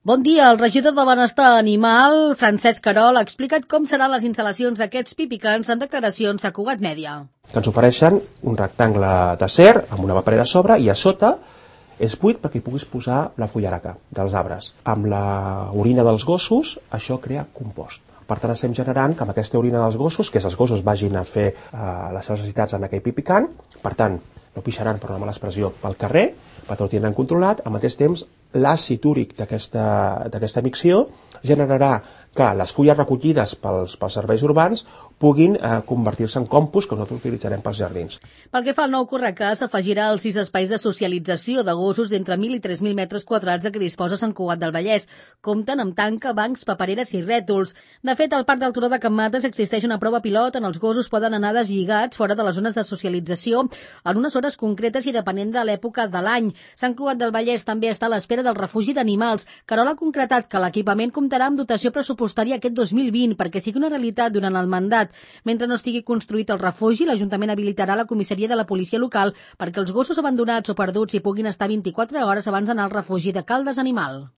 Bon dia, el regidor de Benestar Animal, Francesc Querol, ha explicat com seran les instal·lacions d'aquests pipicans en declaracions a Cugat Mèdia. Que ens ofereixen un rectangle d'acer amb una paperera a sobre i a sota és buit perquè hi puguis posar la fullaraca dels arbres. Amb la orina dels gossos, això crea compost. Per tant, estem generant que amb aquesta orina dels gossos, que els gossos vagin a fer les seves necessitats en aquell pipicant, per tant, no pixaran per una mala expressió pel carrer, per tant ho tindran controlat. Al mateix temps, l'àcid úric d'aquesta micció generarà que les fulles recollides pels serveis urbans puguin convertir-se en compost que nosaltres utilitzarem pels jardins. Pel que fa al nou Correcàs, s'afegirà els 6 espais de socialització de gossos d'entre 1.000 i 3.000 metres quadrats de què disposa Sant Cugat del Vallès. Compten amb tanca, bancs, papereres i rètols. De fet, al Parc del Turó de Can Mates existeix una prova pilot on els gossos poden anar deslligats fora de les zones de socialització en unes hores concretes i depenent de l'època de l'any. Sant Cugat del Vallès també està a l'espera del refugi d'animals. Querol ha concretat que l'equipament comptarà amb dotació pressupostària aquest 2020 perquè sigui una realitat durant el mandat. Mentre no estigui construït el refugi, l'Ajuntament habilitarà la comissaria de la policia local perquè els gossos abandonats o perduts hi puguin estar 24 hores abans d'anar al refugi de Caldes Animal.